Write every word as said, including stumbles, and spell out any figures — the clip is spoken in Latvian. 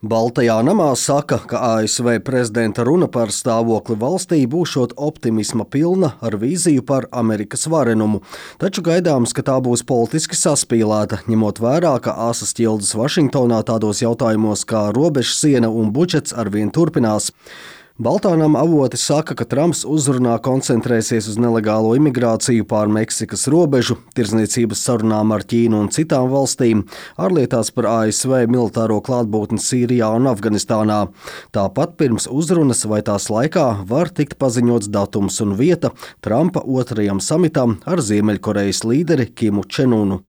Baltajā namā saka, ka A S V prezidenta runa par stāvokli valstī būšot optimisma pilna ar vīziju par Amerikas varenumu, taču gaidāms, ka tā būs politiski saspīlēta, ņemot vērā, ka asas ķildes Vašingtonā tādos jautājumos kā robežsiena un budžets arvien turpinās. Baltā nama avoti saka, ka Trumps uzrunā koncentrēsies uz nelegālo imigrāciju pār Meksikas robežu, tirdzniecības sarunām ar Ķīnu un citām valstīm, ārlietās par A S V militāro klātbūtni Sīrijā un Afganistānā. Tāpat pirms uzrunas vai tās laikā var tikt paziņots datums un vieta Trumpa otrajam samitam ar Ziemeļkorejas līderi Kimu Čen Unu.